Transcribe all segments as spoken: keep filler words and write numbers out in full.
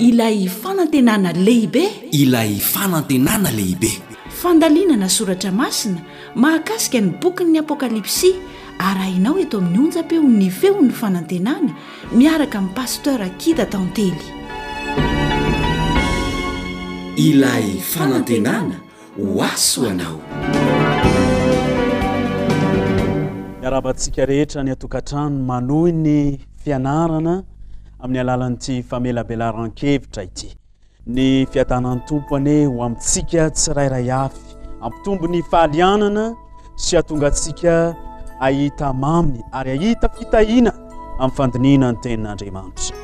Ilay fanantenana lehibe. Ilay fanantenana lehibe. Fandalinana soratra masina mahakasika ny bokin'ny Apokalypsy arahinao eto amin'ny onjam-peon'ny Feon'ny Fanantenana miaraka amin'i Pasteur Akida Tantely. Ilay fanantenana ho ahy ho anao. Miarahaba antsika rehetra any an-tokantrano manohy ny fianarana amin'ny alalan'ity famelabelaran-kevitra ity. Ny fiadanan'ny Tompo anie ho amintsika tsirairay avy, hampitombo ny fahalianana sy hahatonga antsika hahita mamy ary hahita fitahiana amin'ny fandinihina ny tenin'Andriamanitra.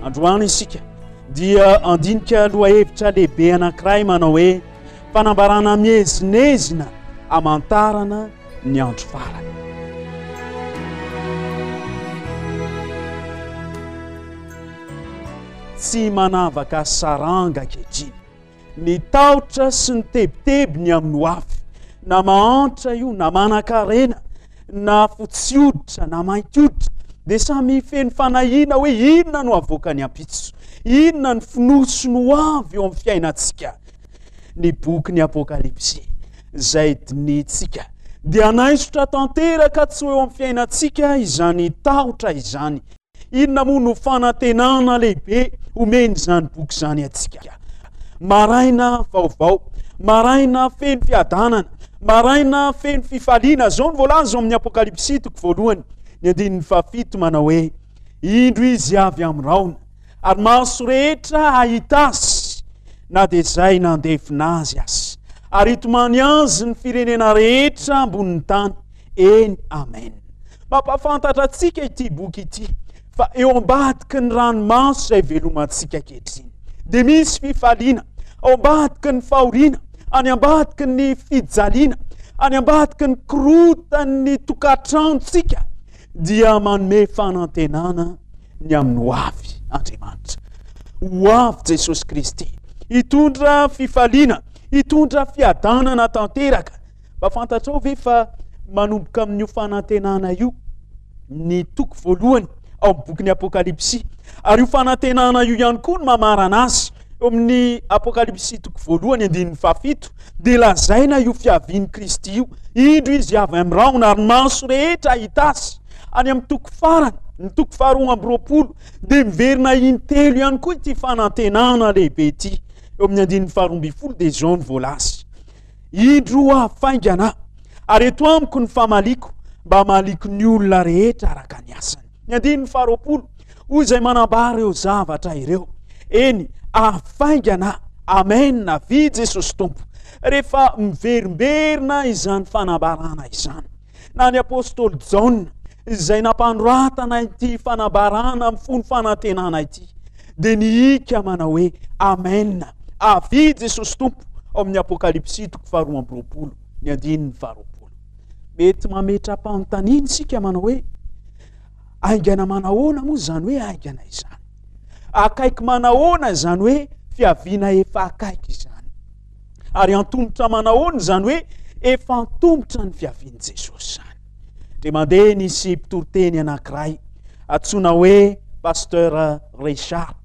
Androany isika dia handinika lohahevitra lehibe anankiray manao hoe fanambarana miezinezina hamantarana ny andro farany. Tsy manavaka saranga ankehitriny. Ny tahotra sy ny tebiteby ny amin'ny ho avy, na mahantra io na manan-karena, na fotsy hoditra na mainty hoditra, dia samy feno fanahiana hoe inona no havoakan'ny ampitso, inona ny fonosiny ho avy eo amin'ny fiainantsika. Ny bokin'ny Apokalypsy izay dinihintsika dia hanaisotra tanteraka tsy ho eo amin'ny fiainantsika izany tahotra izany. Inona moa no fanantenana lehibe omen'izany boky izany antsika? Maraina vaovao, maraina feno fiadanana, maraina feno fifaliana. Izao no voalaza ao amin'ny Apokalypsy toko voalohany, ny andininy fahafito manao hoe, Indro izy avy amin'ny rahona, ary maso rehetra hahita azy, na dia izay nandefina azy aza. Ary hitomany azy ny firenena rehetra ambonin'ny tany. Eny, amen. Mampahafantatra antsika ity boky ity fa eo ambadiky ny ranomaso izay velomantsika ankehitriny dia misy fifaliana, ao ambadiky ny fahoriana, any ambadiky ny fijaliana, any ambadiky ny korotan'ny tokantranontsika dia manome fanantenana ny amin'ny ho avy Andriamanitra. Ho avy Jesosy Kristy hitondra fifaliana, hitondra fiadanana tanteraka. Mba fantatrao ve fa manomboka amin'io fanantenana io ny toko voalohany ao amin'ny bokin'ny Apokalypsy? Ary io fanantenana io ihany koa no mamarana azy. Eo amin'ny Apokalypsy toko voalohany andininy fahafito dia lazaina io fiavian'i Kristy io. Indro izy avy amin'ny rahona ary ny maso rehetra hahita azy. Any amin'ny toko farany, ny toko faharoa amby roapolo, dia miverina intelo ihany koa ity fanantenana lehibe ity. Eo amin'ny andininy faharoa ambin'ny folo dia izao no voalaza. Indro ho avy faingana aho, ary eto amiko ny famaliako, mba hamaliako ny olona rehetra araka ny asany. Ny andininy faharoapolo, hoy izay manambara ireo zavatra ireo. Eny, avy faingana aho. Amen, avia Jesosy Tompo. Rehefa miverimberina izany fanambarana izany, na ny apostoly Jaona izay nampanoratana ity fanambarana mifono fanantenana ity dia nihika manao hoe Amen, avia Jesosy Tompo, ao amin'ny Apokalypsy toko faharoa amby roapolo ny andininy faharoapolo. Mety mametra-panontaniana isika manao hoe haingana manahoana moa izany hoe haingana izany? Akaiky manahoana izany hoe fiaviana efa akaiky izany? Ary antomotra manahoana izany hoe efa antomotra ny fiavian'i Jesosy izany? Dia mandeha nisy mpitoriteny anankiray antsoina hoe Pasteur Richard.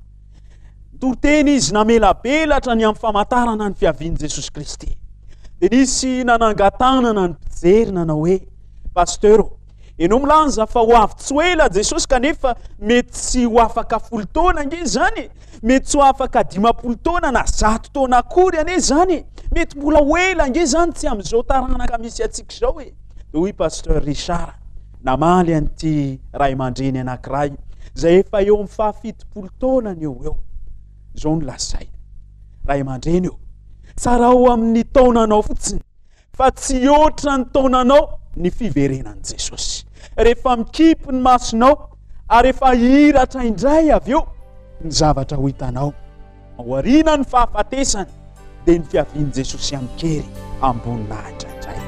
Nitoriteny izy namelabelatra ny amin'ny famantarana ny fiavian'i Jesosy Kristy. Dia nisy nanangan-tanana ny mpijery nanao hoe, Pasteur, ianao milaza fa ho avy tsy ho ela Jesosy kanefa mety tsy ho afaka folo taona ange izany e. Mety tsy ho afaka dimampolo taona na zato taona akory anie izany e. Mety mbola ho ela ange izany tsy amin'izao taranaka misy antsika izao e. Dia hoy Pasteur Richard namaly an'ity ray aman-dreny anankiray izay efa eo amin'ny fahafitopolo taonany eo ho eo. Izao no lazainy, ray aman-dreny ô, tsarao amin'ny taonanao fotsiny fa tsy hihoatra ny taonanao ny fiverenan'i Jesosy. Rehefa mikipy ny masonao ary efa hihiratra indray avy eo ny zavatra ho hitanao aoriana ny fahafatesana dia ny fiavian'i Jesosy amin-kery amboninahitra indray.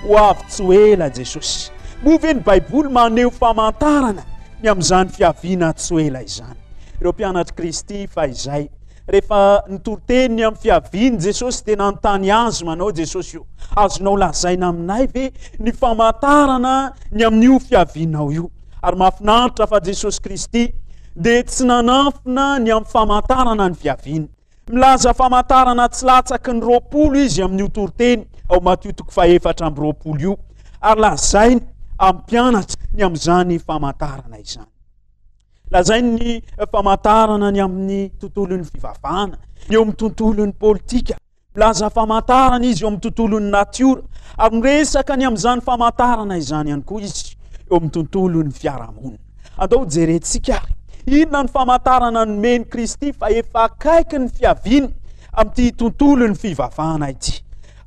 Ho avy tsy ho ela Jesosy. Moa ve ny Baiboly maneho famantarana ny amin'izany fiaviana tsy ho ela izany? Ireo mpianatr'i Kristy fahizay, rehefa nitoriteny ny amin'ny fiavian'i Jesosy dia nanontany azy manao Jesosy io, azonao lazaina aminay ve ny famantarana ny amin'io fiavianao io? Ary mahafinaritra fa Jesosy Kristy dia tsy nanafina ny amin'ny famantarana ny fiaviany. Milaza famantarana tsy latsaky ny roapolo izy amin'io toriteny ao Matio toko fahefatra amby roapolo io, ary lazainy amin'ny mpianatra ny amin'izany famantarana izany. Lazainy ny famantarana ny amin'ny tontolon'ny fivavahana, ny eo amin'ny tontolon'ny politika. Milaza famantarana izy eo amin'ny tontolon'ny natiora, ary miresaka ny amin'izany famantarana izany ihany koa izy eo amin'ny tontolon'ny fiarahamonina. Andao jerentsika ary inona ny famantarana nomen'i Kristy fa efa akaiky ny fiaviany amin'ity tontolon'ny fivavahana ity.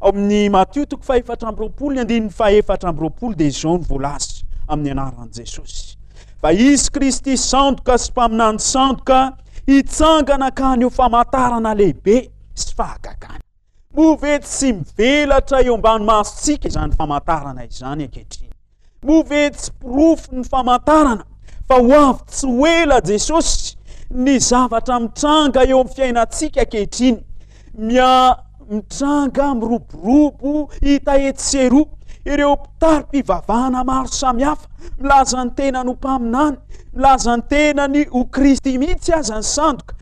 Ao amin'ny Matio toko fahefatra amby roapolo ny andininy fahefatra amby roapolo dia izao no voalaza amin'ny anaran'i Jesosy. Fa izy Kristy sandoka sy mpaminany sandoka hitsangana ka haneho famantarana lehibe sy fahagagana. Moa ve tsy mivelatra eo ambany masontsika izany famantarana izany ankehitriny? Moa ve tsy porofo ny famantarana fa ho avy tsy ho ela Jesosy ny zavatra mitranga eo amin'ny fiainantsika ankehitriny? Mia mitranga miroborobo hita etsy sy eroa ireo mpitari-pivavahana maro samihafa milaza ny tenany ho mpaminany, milaza ny tenany ho Kristy mihitsy aza ny sandoka,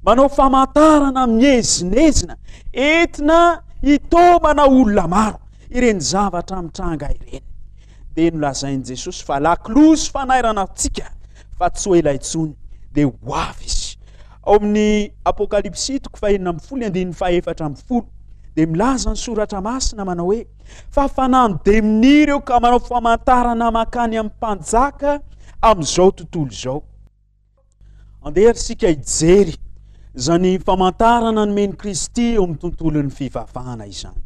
manao famantarana miezinezina entina hitaomana olona maro. Ireny zavatra mitranga ireny dia nolazain'i Jesosy fa lakolosy fanairana antsika fa tsy ho ela intsony dia ho avy izy. Ao amin'ny Apokalypsy toko fahenina ambin'ny folo andininy fahefatra ambin'ny folo dia milaza ny soratra masina manao hoe fa fanano demonia ireo ka manao famantarana mankany amin'ny mpanjaka amin'izao tontolo izao. Andeha ary isika hijery izany famantarana nomen'i Kristy eo amin'ny tontolon'ny fivavahana izany.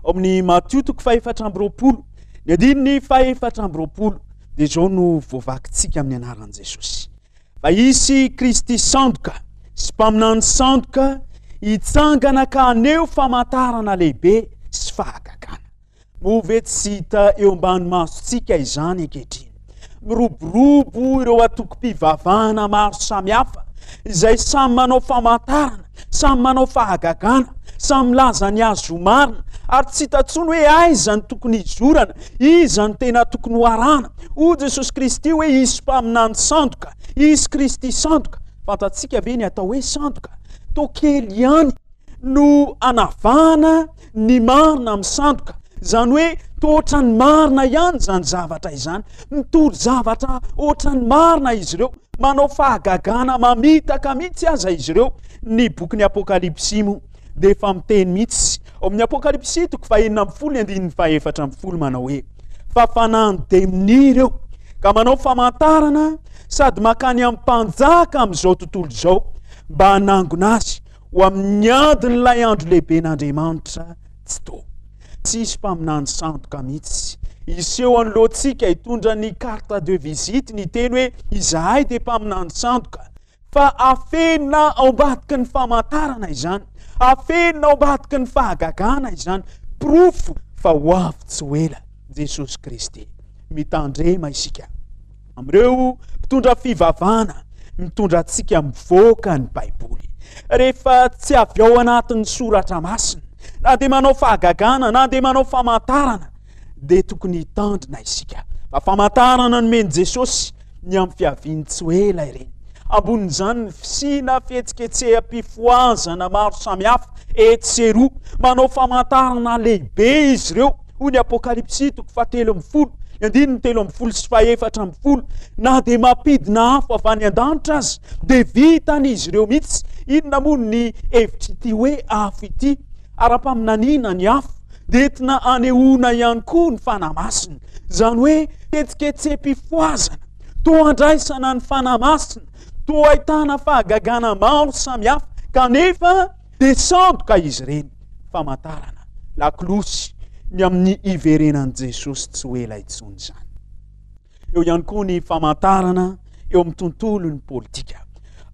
Ao amin'ny Matio toko fahefatra amby roapolo, ny andininy fahefatra amby roapolo dia izao no voavakintsika amin'ny anaran'i Jesosy. Fa hisy Kristy sandoka sy mpaminany sandoka hitsangana ka haneho famantarana lehibe sy fahagagana. Moa ve tsy hita eo ambany masontsika izany ankehitriny? Miroborobo ireo antokom-pivavahana maro samihafa izay samy manao famantarana, samy manao fahagagana, samy milaza ny azy ho marina, ary tsy hita intsony hoe aiza no tokony hizorana, iza no tena tokony ho arahana. Hoy Jesosy Kristy hoe hisy mpaminany sandoka, hisy Kristy sandoka. Fantatsika ve ny atao hoe sandoka? Toa kely ihany no anavahana ny marina amin'ny sandoka. Izany hoe toa ohatran'ny marina ihany izany zavatra izany. Mitory zavatra ohatran'ny marina izy ireo. Manao fahagagana mamitaka mihitsy aza izy ireo. Ny bokin'ny Apokalypsy moa dia efa miteny mihitsy. Ao amin'ny Apokalypsy toko fahenina ambin'ny folo ny andininy fahefatra ambin'ny folo manao hoe fa fanahin'ny demonia ireo ka manao famantarana sady mankany amin'ny mpanjaka amin'izao tontolo izao mba hanangona azy ho amin'ny adin'ilay andro lehiben'Andriamanitra tsy to. Tsy hisy mpaminany sandoka mihitsy hiseho anoloantsika hitondra ny carte de visite ny teny hoe izahay dia mpaminany sandoka, fa afenina ao ambadiky ny famantarana izany, afenina ao ambadiky ny fahagagana izany, porofo fa ho avy tsy ho ela Jesosy Kristy. Mitandrema isika amin'ireo mpitondra fivavahana mitondra antsika mivoaka ny Baiboly. Rehefa tsy avy ao anatin'ny soratra masina, na dia manao fahagagana, na dia manao famantarana, dia tokony hitandrina isika. Fa famantarana nomen'i Jesosy ny amin'ny fiaviany tsy ho ela ireny. Ambonin'izany ny fisiana fihetsiketseham-pifohazana maro samihafa etsy sy eroa. Manao famantarana lehibe izy ireo, hoy ny Apokalypsy toko fahatelo ambin'ny folo, ny andininy telo ambin'ny folo sy fahefatra ambin'ny folo. Na dia mampidina afo avy any an-danitra aza, dia vitan'izy ireo mihitsy. Inona moa ny hevitr'ity hoe afo ity? Ara-paminaniana ny afo dia entina anehoana ihany koa ny Fanahy Masina. Izany hoe fihetsiketseham-pifohazana, toa andraisana ny Fanahy Masina, toa ahitana fahagagana maro samihafa, kanefa dia sandoka izy ireny. Famantarana, lakolosy ny amin'ny hiverenan'i Jesosy tsy ho ela intsony izany. Eo ihany koa ny famantarana eo amin'ny tontolon'ny politika.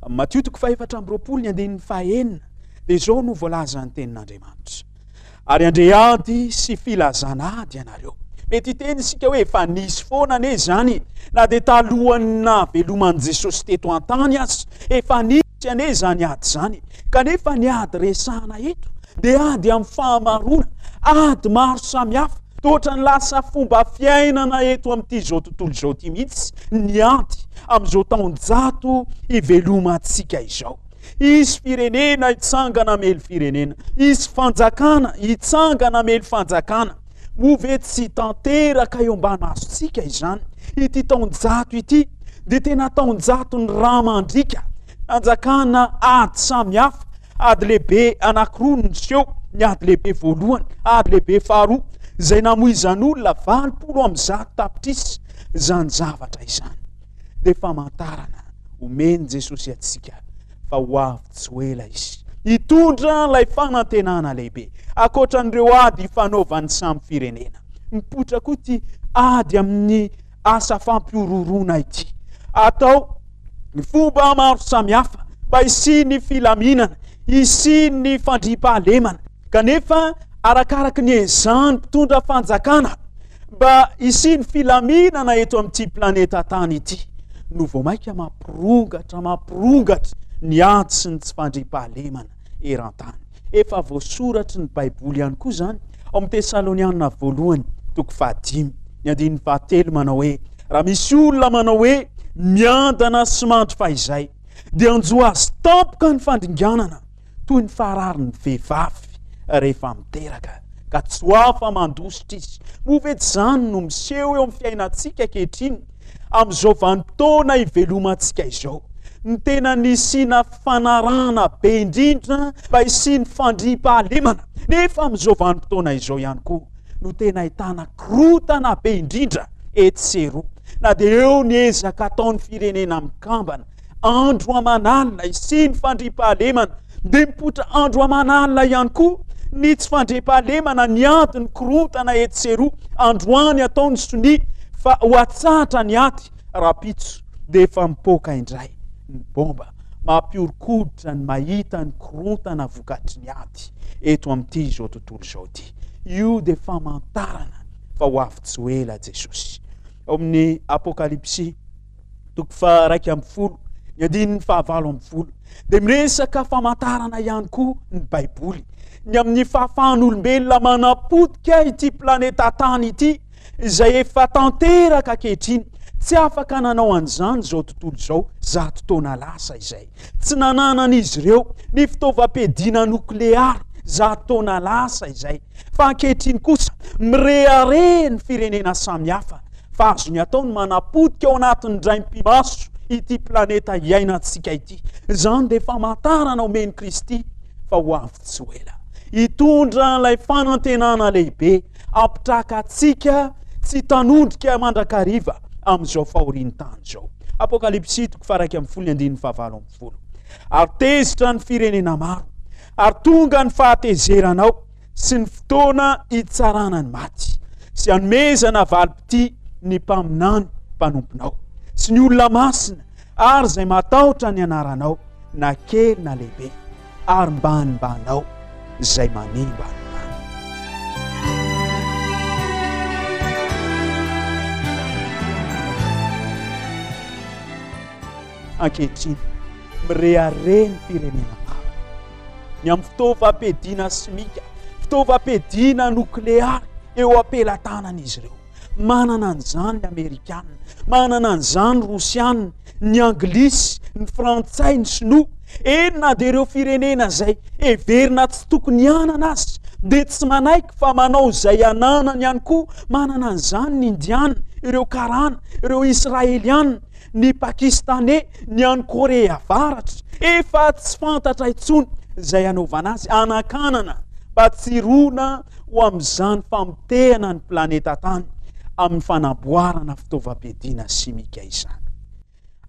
Matio toko fahefatra amby roapolo ny andininy fahenina dia izao no voalazan'ny tenin'Andriamanitra. Ary handre ady sy filazana ady ianareo. Mety hiteny isika hoe efa nisy foana anie izany, na dia talohan'ny nahaveloman'i Jesosy teto an-tany aza, efa nisy anie izany ady izany. Kanefa ny ady resahana eto dia ady amin'ny fahamaroana, ady maro samihafa. Toa ohatran'ny lasa fomba fiainana eto amin'ity izao tontolo izao ity mihitsy ny ady amin'izao taonjato ivelomantsika izao. Hisy firenena hitsangana hamely firenena, hisy fanjakana hitsangana hamely fanjakana. Moa ve tsy tanteraka eo ambany masontsika izany? Ity taonjato ity dia tena taonjaton'ny rà mandriaka, nanjakana ady samihafa. Ady lehibe anankiroa no niseho, ny ady lehibe voalohany, ady lehibe faharoa, izay namoizan'olona valopolo amby zato tapitrisa. Izany zavatra izany dia famantarana omen'i Jesosy antsika fa ho avy tsy ho ela Izy hitondra ilay fanantenana lehibe. Ankoatra an'ireo ady ifanaovan'ny samy firenena, mipoitra koa ity ady amin'ny asa fampihorohoroana ity. Atao ny fomba maro samihafa mba hisian'ny filaminana, hisian'ny fandriampahalemana. Kanefa arakaraky ny ezahan'ny mpitondra fanjakana mba hisian'ny filaminana eto amin'ity planeta tany ity no vao mainka mampirongatra, mampirongatra ny ady sy ny tsy fandriampahalemana eran-tany. Efa voasoratry ny Baiboly ihany koa izany ao amin'ny Tesaloniana voalohany toko fahadimy ny andininy fahatelo manao hoe raha misy olona manao hoe miadana sy mandry fahizay dia hanjo azy tampoka ny fandringanana toy ny fahararin'ny vehivavy rehefa miteraka ka tsy ho afa-mandositra izy. Moa ve tsy izany no miseho eo amin'ny fiainantsika ankehitriny amin'izao vanim-potoana ivelomantsika izao? Ny tena nisiana fanarahana be indrindra mba hisian'ny fandriampahalemana, nefa amin'izao vanim-potoana izao ihany koa no tena ahitana korontana be indrindra etsy sy eroa. Na dia eo ny ezaka ataon'ny firenena mikambana andro aman'alina hisian'ny fandriampahalemana, dia mipoitra andro aman'alina ihany koa ny tsy fandriampahalemana, ny ady, ny korontana etsy sy eroa. Androany atao ny sonia fa ho atsahatra ny ady, rahampitso dia efa mipoaka indray ny bomba. Mampihoron-koditra ny mahita ny korontana vokatry ny ady eto amin'ity izao tontolo izao ity. Io dia famantarana fa ho avy tsy ho ela Jesosy. Ao amin'ny Apokalypsy toko faha-iraika ambin'ny folo, ny andininy fahavalo ambin'ny folo, dia miresaka famantarana ihany koa ny Baiboly ny amin'ny fahafahan'olombelona manapotika ity planeta tany ity izay efa tanteraka ankehitriny. Tsy afaka nanao an'izany izao tontolo izao zato taona lasa izay. Tsy nananan'izy ireo ny fitaovam-piadiana nokleary zato taona lasa izay. Fa ankehitriny kosa mirehareha ny firenena samihafa fa azony atao ny manapotika ao anatin'ny draim-pimaso ity planeta iainantsika ity. Izany dia famantarana omen'i Kristy fa ho avy tsy ho ela. Hitondra ilay fanantenana lehibe hampitraka antsika tsy hitanondrika mandrakariva amin'izao fahorian'ny tany izao. Apokalypsy toko faha-iraika ambin'ny folo ny andininy fahavalo ambin'ny folo. Ary tezitra ny firenena maro, ary tonga ny fahatezeranao sy ny fotoana hitsarana ny maty, sy hanomezana valim-pitia ny mpaminany mpanomponao, sy ny olona masina, ary izay matahotra ny anaranao, na kely na lehibe, ary mbanimbanao izay manimba ny tany. Ankehitriny, mirehareha ny firenena maro ny amin'ny fitaovam-piadiana simika, fitaovam-piadiana nokleary eo am-pelatanan'izy ireo. Manana an'izany ny Amerikana, manana an'izany ny Rosiana, ny Anglisy, ny Frantsay, ny Sinoa. Eny na dia ireo firenena izay heverina tsy tokony hanana aza dia tsy manaiky fa manao izay ananany ihany koa. Manana an'izany ny Indiana, ireo Karana, ireo Israeliana, ny Pakistaney, ny any Korea Avaratra. Efa tsy fantatra intsony izay hanaovana azy, hanakanana mba tsy hirona ho amin'izany famotehana ny planeta tany amin'ny fanamboarana fitaovam-piadiana simika izany.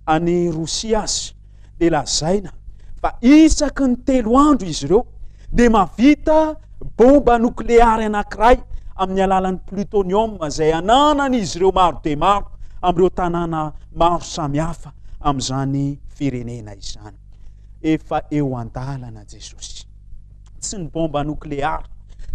Any Rosia aza dia lazaina fa isaky ny telo andro izy ireo dia mahavita bomba nokleary anankiray amin'ny alalan'ny plutonium izay ananan'izy ireo maro dia maro amin'ireo tanàna maro samihafa amin'izany firenena izany. Efa eo an-dalana Jesosy. Tsy ny bomba nokleary,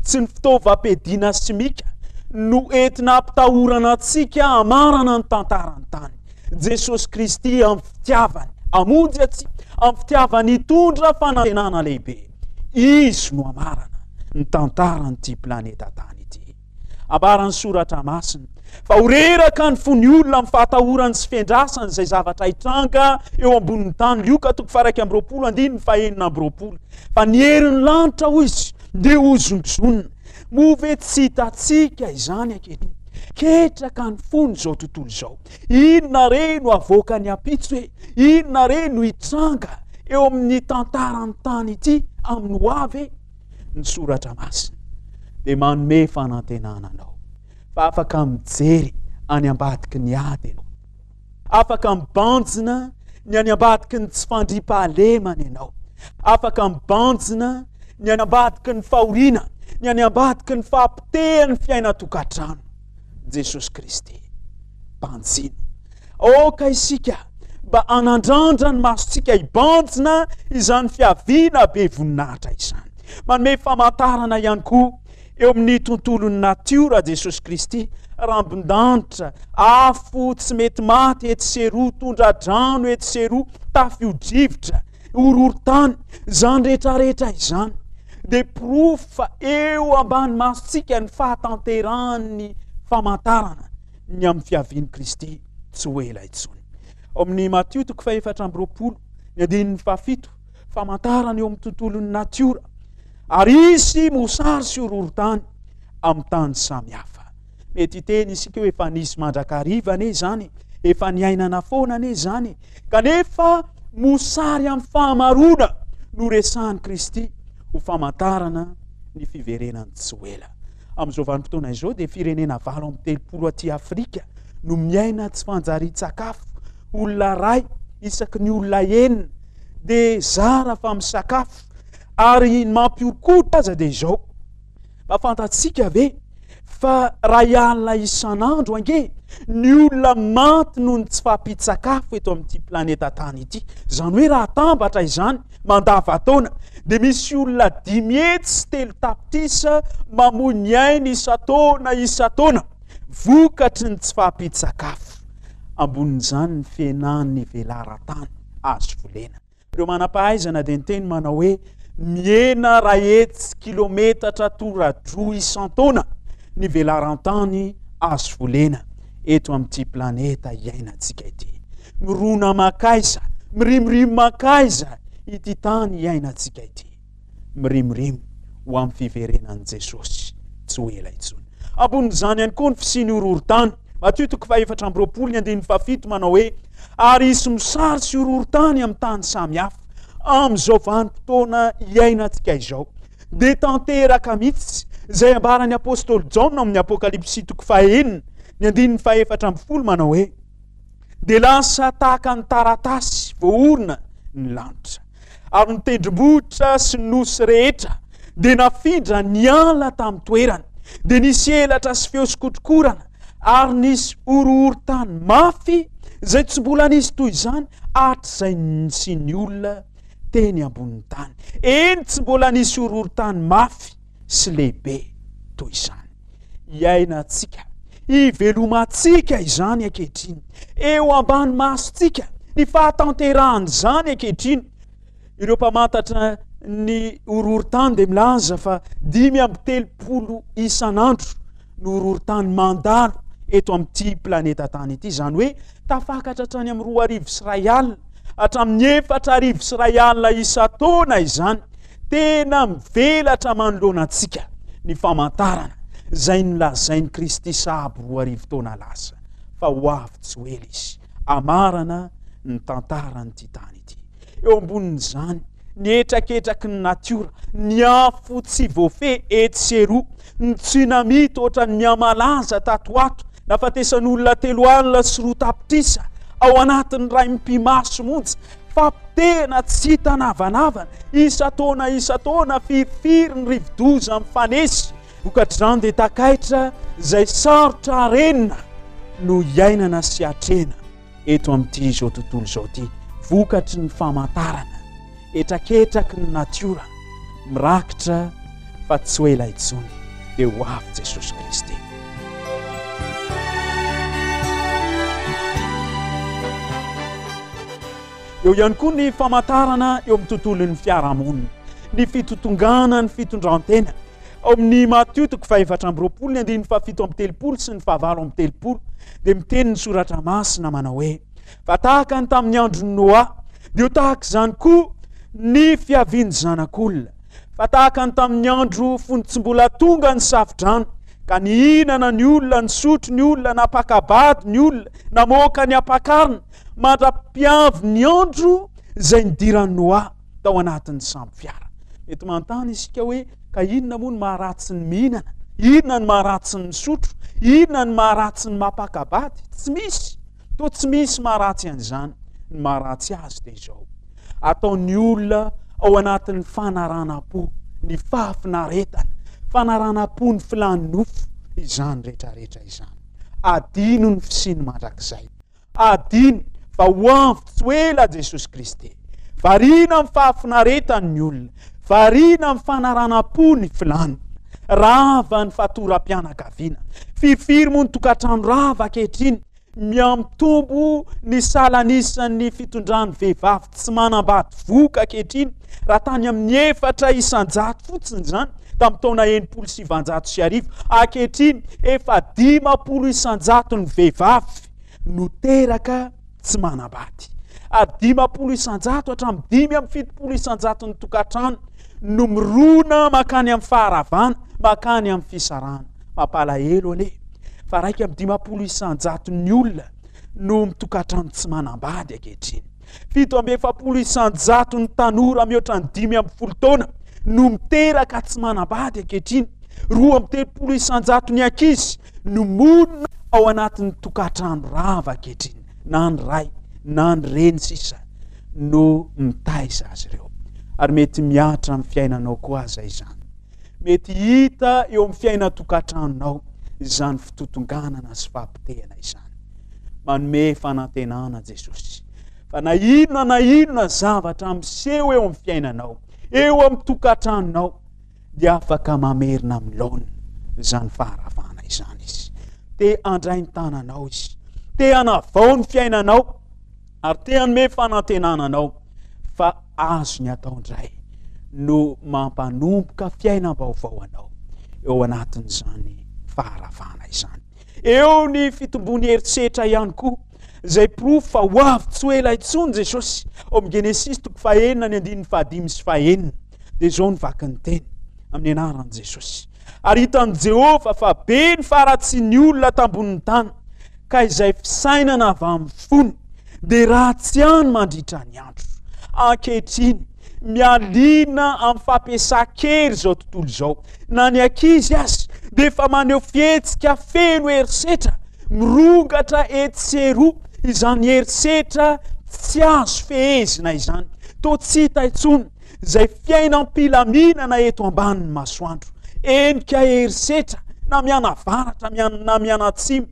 tsy ny fitaovam-piadiana simika no entina ampitahorana antsika hamarana ny tantaran'ny tany. Jesosy Kristy amin'ny fitiavany hamonjy antsika, amin'ny fitiavany hitondra fanantenana lehibe. Izy no hamarana ny tantaran'ity planeta tany ity. Ambaran'ny Soratra Masina fa ho reraka ny fon'ny olona amin'ny fahatahorany sy fiandrasany izay zavatra hitranga eo ambonin'ny tany. Lioka toko faha iraika amby roapolo andininy fahenina amby roapolo. Fa ny herin'ny lanitra, hoy izy, dia hozongozonina. Moa ve tsy hitantsika izany ankehitriny? Ketraka ny fon'izao tontolo izao. Inona re no havoakan'ny ampitso e? Inona re no hitranga eo amin'ny tantaran'ny tany ity amin'ny ho avy e? Ny Soratra Masina dia manome fanantenana anao fa afaka mijery any ambadiky ny ady ianao. Afaka mibanjina ny any ambadiky ny tsy fandriampahalemana ianao. Afaka mibanjina ny any ambadiky ny fahoriana, ny any ambadiky ny fahapotehan'ny fiainan-tokantrano. Jesosy Kristy, banjino. Aoka isika mba hanandrandra ny masontsika hibanjina izany fiaviana be voninahitra izany. Manome famantarana ihany koa eo amin'ny tontolon'ny natiora Jesosy Kristy, rambon-danitra, afo tsy mety maty etsy sy eroa, tondra-drano etsy sy eroa, tafio-drivotra, horohorontany, izany rehetrarehetra izany dia porofo fa eo ambany masontsika ny fahatanterahan'ny famantarana ny amin'ny fiavian'i Kristy tsy ho ela intsony. Ao amin'ny Matio toko fahefatra amby roapolo, ny andininy fahafito, famantarana eo amin'ny tontolon'ny natiora, ary hisy mosary sy horohorontany amin'ny tany samihafa. Mety hiteny isika hoe efa nisy mandrakariva anie izany, efa niainana foana anie izany, kanefa mosary amin'ny fahamaroana no resahan'i Kristy ho famantarana ny fiverenany tsy ho ela. Amin'izao vanim-potoana izao dia firenena valo amby telopolo aty Afrika no miaina tsy fanjarian-tsakafo. Olona iray isaky ny olona enina dia zara fa misakafo. Ary ny mampihoron-koditra aza dia izao, mba fantatsika ve fa iray alina isan'andro ange ny olona maty noho ny tsy fahampian-tsakafo eto amin'ity planeta tany ity? Izany hoe raha atambatra izany mandavantaona dia misy olona dimy hetsy sy telo tapitrisa mamoy ny ainy isan-taona isan-taona vokatry ny tsy fahampian-tsakafo. Ambonin'izany ny fihenan'ny velaran-tany azo volena. Ireo manam-pahaizana dia niteny manao hoe mihena iray hetsy kilometatra tora-droa isan-taona ny velaran-tany azo volena eto amin'ity planeta iainantsika ity. Mirona mankaiza, mirimorimo mankaiza ity tany iainantsika ity. Mirimorimo ho amin'ny fiverenan'i Jesosy tsy ho ela intsony. Ambonin'izany ihany koa ny fisian'ny horohorontany. Matio toko fahefatra amby roapolo ny andininy fahafito manao hoe ary hisy mosary sy horohorontany amin'ny tany samy hafa. Amin'izao vanim-potoana iainantsika izao dia tanteraka mihitsy izay ambaran'ny apostoly Jaona amin'ny Apokalypsy toko fahenina ny andininy fahefatra ambin'ny folo manao hoe dia lasa tahaka ny taratasy voaorina ny lanitra ary ny tendrombohitra sy ny nosy rehetra dia nafindra niala tamin'ny toerany, dia nisy elatra sy feo sy kotrokorana ary nisy horohorontany mafy izay tsy mbola nisy toy izany hatrizay nisian'ny olona teny ambonin'ny tany. Eny, tsy mbola nisy horohorontany mafy sy lehibe toy izany. Iainantsika, ivelomantsika izany ankehitriny, eo ambany masontsika ny fahatanterahan'izany ankehitriny. Ireo mpamantatra ny horohorontany dia milaza fa dimy amby telopolo isan'andro no horohorontany mandalo eto amin'ity planeta tany ity, izany hoe tafakatra hatrany amin'ny roa arivo sy iray alina hatramin'ny efatra arivo sy iray alina isan-taona izany. Tena mivelatra manoloana antsika ny famantarana izay nolazain'i Kristy sahabo roa arivo taona lasa fa ho avy tsy ho ela izy hamarana ny tantaran'ity tany ity. Eo ambonin'izany, ny hetraketraky ny natiora, ny afo tsy voafehy etsy sy eroa, ny tsunami toa ny mihamalaza tato ho ato, nahafatesan'olona telo alina sy roa tapitrisa ao anatin'ny iray mipi-maso monja, fampotehana tsy hita navanavana, isan-taona isan-taona firifiry ny rivodoza mifanesy. Vokatr'izany dia takaitra izay sarotra arenina no iainana sy atrehina eto amin'ity izao tontolo izao ity, vokatry ny famantarana hetraketraky ny natiora mirakitra fa tsy ho ela intsony dia ho avy Jesosy Kristy. Eo ihany koa ny famantarana eo amin'ny tontolon'ny fiarahamonina, ny fitotongana ny fitondrantena. Ao amin'ny Matio toko fahaefatra amby roapolo ny andininy fahafito amby telopolo sy ny fahavalo amby telopolo dia miteny ny soratra masina manao hoe: fa tahaka ny tamin'ny andron'i Noa dia ho tahaka izany koa ny fiavian'ny zanak'olona. Fa tahaka ny tamin'ny andro fony tsy mbola tonga ny safodrano, ka nihinana ny olona, nisotro ny olona, nampaka-bady ny olona, namoaka ny ampakarina, mandra-piavy ny andro izay nidiran'i Noa tao anatin'ny sambo fiara. Mety manontany isika hoe ka inona moa no maharatsy ny mihinana? Inona no maharatsy ny misotro? Inona no maharatsy ny mampaka-bady? Tsy misy. Toa tsy misy maharatsy an'izany. Ny maharatsy azy dia izao: ataon'ny olona ao anatin'ny fanaranam-po, ny fahafinaretana, fanaranam-po ny filan'ny nofo, izany rehetrarehetra izany. Adino ny fisiany mandrakizay. Adino fa ho avy tsy ho ela Jesosy Kristy. Variana amin'ny fahafinaretany ny olona, variana amin'ny fanaranam-po ny filany. Rava ny fatoram-pianakaviana. Firifiry moa ny tokantrano rava ankehitriny? Mihamitombo ny salanisan'ny fitondran'ny vehivavy tsy manambady vohoka ankehitriny, raha tany amin'ny efatra isan-jato fotsiny izany tamin'ny taona enimpolo sy sivanjato sy arivo. Ankehitriny efa dimampolo isan-jato ny vehivavy no teraka tsy manambady, ary dimampolo isan-jato hatramin'ny dimy amby fitopolo isan-jato ny tokantrano no mirona mankany amin'ny faharavana, mankany amin'ny fisarahana. Mampalahelo anie fa raika amby dimampolo isan-jato ny olona no mitokantrano tsy manambady ankehitriny. Fito amby efapolo isan-jato ny tanora mihoatra ny dimy amby folo taona no miteraka tsy manambady ankehitriny. Roa amby telopolo isan-jato ny ankizy no monina ao anatin'ny tokantrano rava ankehitriny, na ny ray na ny reny sisa no mitaiza azy ireo. Ary mety mihatra amin'ny fiainanao koa aza izany. Mety hita eo amin'ny fiainan-tokantranonao izany fitotonganana sy fampitehana izany. Manome fanantenana Jesosy fa na inona na inona zavatra miseho eo amin'ny fiainanao, eo amin'ny tokantranonao, dia afaka mamerina amin'ny laoniny izany faharavana izany izy. Te handray ny tananao izy, te hanavao ny fiainanao, ary te hanome fanantenana anao fa azony atao indray no mampanomboka fiainam-baovao anao eo anatin'izany faharavana izany. Eo ny fitombon'ny herisetra ihany koa, izay porofo fa ho avy tsy ho ela intsony Jesosy. Ao amin'ny Genesisy toko fahenina ny andininy fahadimy sy fahenina dia izao ny vakin'ny teny amin'ny anaran'i Jesosy: ary hitan'i Jehovah fa be ny faharatsian'ny olona tambonin'ny tany, ka izay fisainana avy amin'ny fony dia ratsy ihany mandritra ny andro. Ankehitriny, mialina amin'ny fampiasan-kery izao tontolo izao. Na ny ankizy aza dia efa maneho fihetsika feno herisetra, mirongatra etsy sy eroa izany herisetra tsy azo fehezina izany. Toa tsy hita intsony izay fiainam-pilaminana eto ambanin'ny masoandro. Enika herisetra na mianavaratra na mianatsimo,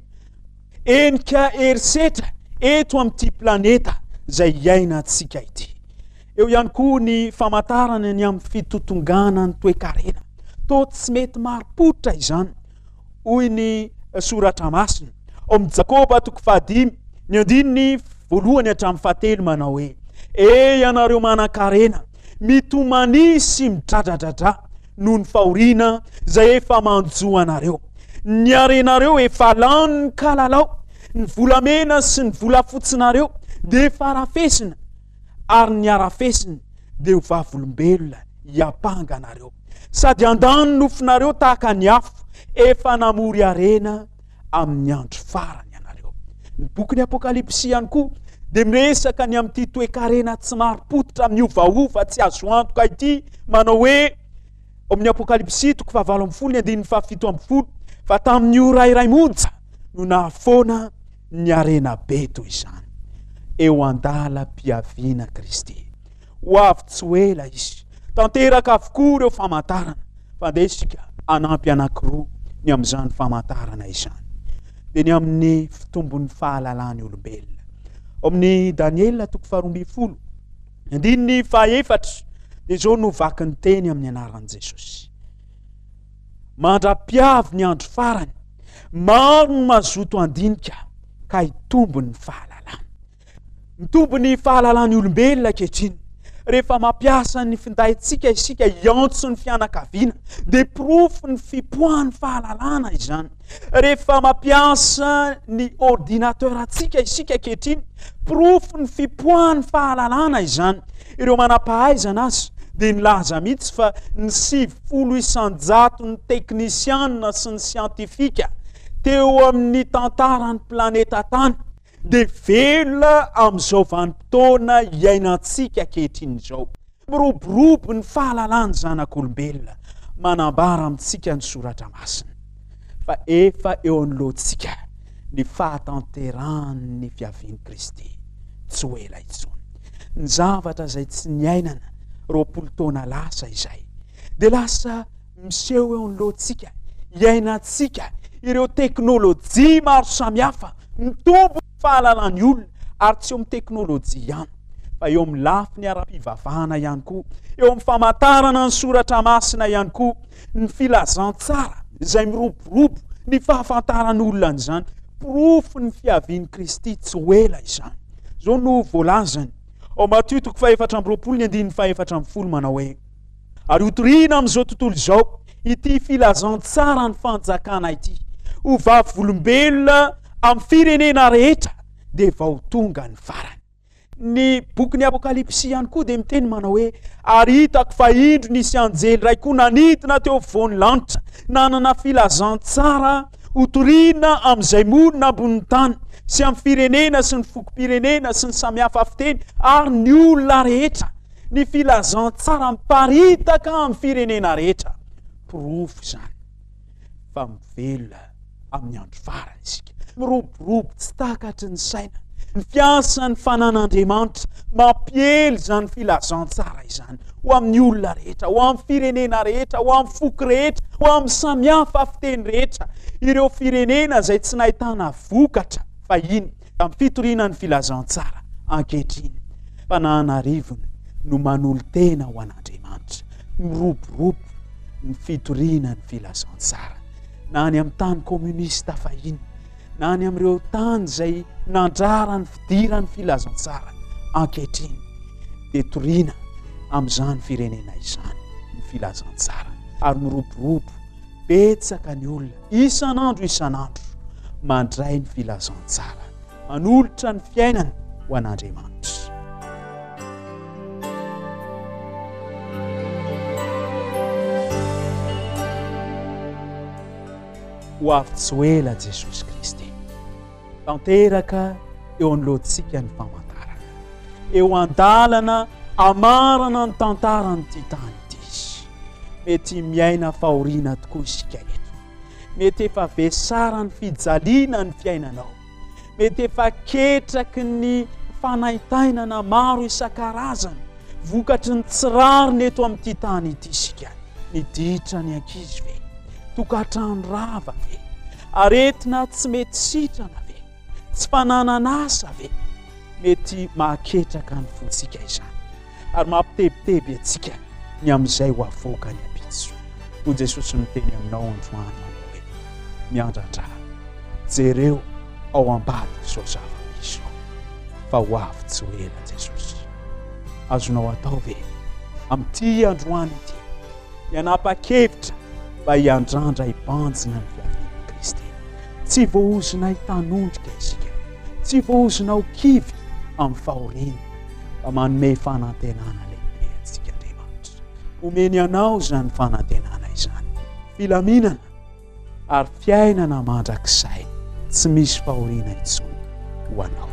enika herisetra eto amin'ity planeta izay iainantsika ity. Eo ihany koa ny famantarana ny amin'ny fitotongana ny toekarena. Toa tsy mety marim-pototra izany, hoy ny soratra masina ao amin'ny Jakoba toko fahadimy ny andininy voalohany hatramin'ny fahatelo manao hoe: e ianareo manan-karena, mitomania sy midradradradra noho ny fahoriana izay efa manjo anareo. Ny harenareo efa lany kalalao, ny volamena sy ny volafotsinareo dia efa rafesina, ary ny harafesina dia ho vavolombelona hiampanga anareo, sady handany nofonareo tahaka ny afo efa namory harena amin'ny andro farany ianareo. Ny bokin'ny Apokalypsy ihany koa dia miresaka ny amin'ity toekarena tsy marim-pototra miovaova tsy azo antoka ity, manao hoe ao amin'ny Apokalypsy toko fahavalo ambin'ny folo ny andininy fahafito ambin'ny folo fa tamin'ny ora iray monja no nahafoana ny harena be toy izany. Eo an-dalam-piaviana Kristy. Ho avy tsy ho ela izy. Tanteraka avokoa ireo famantarana. Fa andeha isika hanampy anankiroa ny amin'izany famantarana izany. Dia ny amin'ny fitombon'ny fahalalan'ny olombelona. Ao amin'ny Daniela toko faharoa ambin'ny folo, andininy fahaefatra, dia izao no vakin'ny teny amin'ny anaran'i Jesosy: mandra-piavy ny andro farany, maro no mazoto handinika ka hitombo ny fahalalana. Mitombo ny fahalalan'ny olombelona ankehitriny. Rehefa mampiasa ny findaintsika isika hiantso ny fianakaviana, dia porofo ny fipoahan'ny fahalalana izany. Rehefa mampiasa ny ordinateur antsika isika ankehitriny, porofo ny fipoahan'ny fahalalana izany. Ireo manam-pahaizana azy dia nilaza mihitsy fa ny sivifolo isan-jato ny teknisianina sy ny siantifika teo amin'ny tantaran'ny planeta tany dia velona amin'izao vanim-potoana iainantsika ankehitriny izao. Miroborobo ny fahalalan'ny zanak'olombelona. Manambara amintsika ny soratra masina fa efa eo anoloantsika ny fahatanterahan'ny fiavian'i Kristy tsy ho ela intsony. Ny zavatra izay tsy niainana roapolo taona lasa izay dia lasa miseho eo anoloantsika, iainantsika ireo teknôlôjia maro samihafa mitombo ny fahalalan'ny olona, ary tsy eo amin'ny teknôlôjia ihany fa eo amin'ny lafiny ara-pivavahana ihany koa, eo amin'ny famantarana ny soratra masina ihany koa, ny filazantsara izay miroborobo, ny fahafantaran'olona an'izany, porofo ny fiavian'i Kristy tsy ho ela izany. Izao no voalazany ao Matio toko fahefatra amby roapolo ny andininy fahefatra ambin'ny folo manao hoe: ary hotorina amin'izao tontolo izao ity filazantsara ny fanjakana ity, ho vavolombelona amin'ny firenena rehetra, dia vao tonga ny farany. Ny bokin'ny Apokalypsy ihany koa dia miteny manao hoe: ary hitako fa indro nisy anjely iray koa nanidina teo afovoan'ny lanitra, nanana filazantsara hotorina amin'izay monina ambonin'ny tany sy amin'ny firenena sy ny fokom-pirenena sy ny samihafa fiteny ary ny olona rehetra. Ny filazantsara miparitaka amin'ny firenena rehetra. Porofo izany fa mivelona amin'ny andro farany isika. Miroborobo tsy takatry ny saina ny fiasan'ny fanan'Andriamanitra mampiely izany filazantsara izany ho amin'ny olona rehetra, ho amin'ny firenena rehetra, ho amin'ny foko rehetra, ho amin'ny samihafa fiteny rehetra. Ireo firenena izay tsy nahitana vokatra fahiny tamin'ny fitoriana ny filazantsara ankehitriny, mpananarivony no manolo-tena ho an'Andriamanitra. Miroborobo ny fitoriana ny filazantsara na any amin'ny tany kominista fahiny, na any amin'ireo tany izay nandrara ny fidiran'ny filazantsara ankehitriny, dia toriana amin'izany firenena izany ny filazantsara, ary miroborobo betsaka ny olona isan'andro isan'andro mandray ny filazantsara, manolotra ny fiainany ho an'Andriamanitra. Ho avy tsy ho ela Jesosy Kristy. Tanteraka eo anoloantsika ny famantarana. Eo an-dalana amarana ny tantaran'ity tany ity. Mety miaina fahoriana tokoa isika eto. Mety efa vesaran'ny fijaliana ny fiainanao. Mety efa ketraky ny fanaintainana maro isan-karazany vokatry ny tsy rariny eto amin'ity tany ity isika. Ny ditra ny ankizy ve? Tokantrano rava ve? Aretina tsy mety sitrana ve? Tsy fananana asa ve? Mety mahaketraka ny fontsika izany ary mampitebiteby antsika ny amin'izay ho avoaka ny ampitso. Hoy Jesosy miteny aminao androany manao hoe: miandrandra, jereo ao ambadik'izao zava-misy izao fa ho avy tsy ho ela Jesosy. Azonao atao ve amin'ity androany ity ny hanapa-kevitra mba hiandrandra hibanjina ny fiavian'i Kristy? Tsy voahozona hitanondrika isika, tsy voahozona ho kivy amin'ny fahoriana, fa manome fanantenana lehibe antsika Andriamanitra. Omeny anao izany fanantenana izany, filaminana ary fiainana mandrakizay tsy misy fahoriana intsony ho anao.